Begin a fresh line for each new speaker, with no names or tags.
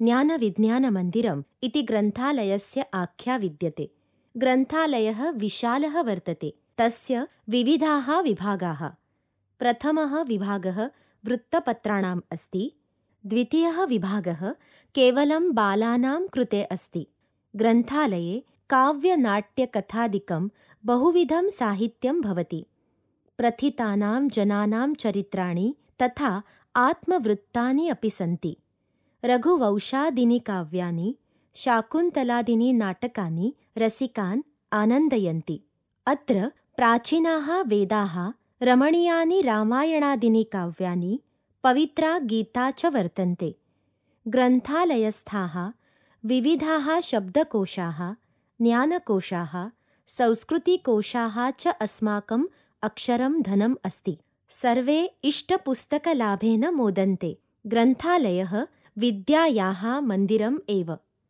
ज्ञानविज्ञानमन्दिरम् इति ग्रन्थालयस्य आख्या विद्यते। ग्रन्थालयः विशालः वर्तते। तस्य विविधाः विभागाः। प्रथमः विभागः वृत्तपत्राणाम् अस्ति। द्वितीयः विभागः केवलं बालानां कृते अस्ति। ग्रन्थालये काव्यनाट्यकथादिकं बहुविधं साहित्यं भवति। प्रथितानां जनानां चरित्राणि तथा आत्मवृत्तानि अपि सन्ति। रघुवंशादीनि काव्यानि, शाकुन्तलादीनि नाटकानि रसिकान् आनन्दयन्ति। अत्र प्राचीनाः वेदाः, रमणीयानि रामायणादीनि काव्यानि, पवित्रा गीता च वर्तन्ते। ग्रन्थालयस्थाः विविधाः शब्दकोशाः, ज्ञानकोशाः, संस्कृतिकोशाः च अस्माकम् अक्षरं धनम् अस्ति। सर्वे इष्टपुस्तकलाभेन मोदन्ते। ग्रन्थालयः विद्यायाः मन्दिरम् एव।